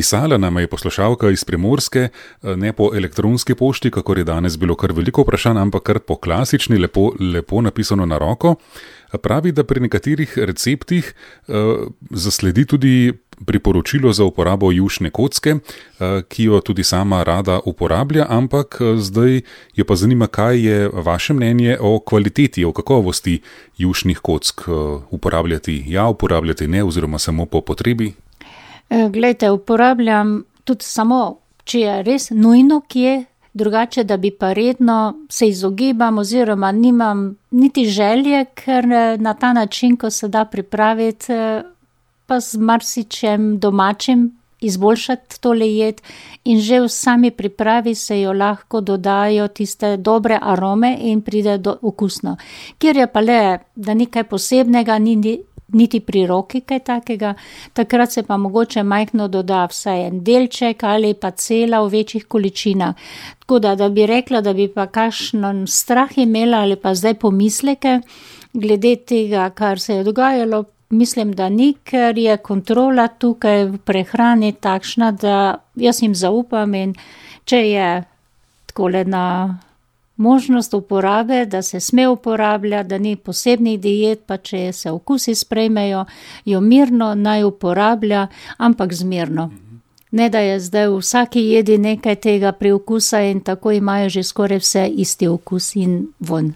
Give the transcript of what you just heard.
Pisala nama je poslušalka iz Primorske, ne po elektronski pošti, kakor je danes bilo kar veliko vprašanj, ampak kar po klasični, lepo napisano na roko. Pravi, da pri nekaterih receptih zasledi tudi priporočilo za uporabo jušne kocke, ki jo tudi sama rada uporablja, ampak zdaj jo pa zanima, kaj je vaše mnenje o kvaliteti, o kakovosti jušnih kock. Uporabljati ne, oziroma samo po potrebi? Glejte, uporabljam tudi samo, če je res nujno kje, drugače, da bi pa redno se izogibam oziroma nimam niti želje, ker na ta način, ko se da pripraviti, pa z marsičem domačim izboljšati tole jed in že v sami pripravi se jo lahko dodajo tiste dobre arome in pride do okusno. Kjer je pa le, da ni kaj posebnega, niti pri roki kaj takega, takrat se pa mogoče majhno doda vsaj en delček ali pa cela v večjih količinah. Tako da bi rekla, da bi pa kakšen strah imela ali pa zdaj pomisleke glede tega, kar se je dogajalo, mislim, da ni, ker je kontrola tukaj v prehrani takšna, da jaz jim zaupam in če je takole na možnost uporabe, da se sme uporabljati, da ni posebnih diet, pa če se okusi sprejmejo, jo mirno naj uporablja, ampak zmerno. Ne, da je zdaj v vsaki jedi nekaj tega priokusa in tako imajo že skoraj vse isti okus in vonj.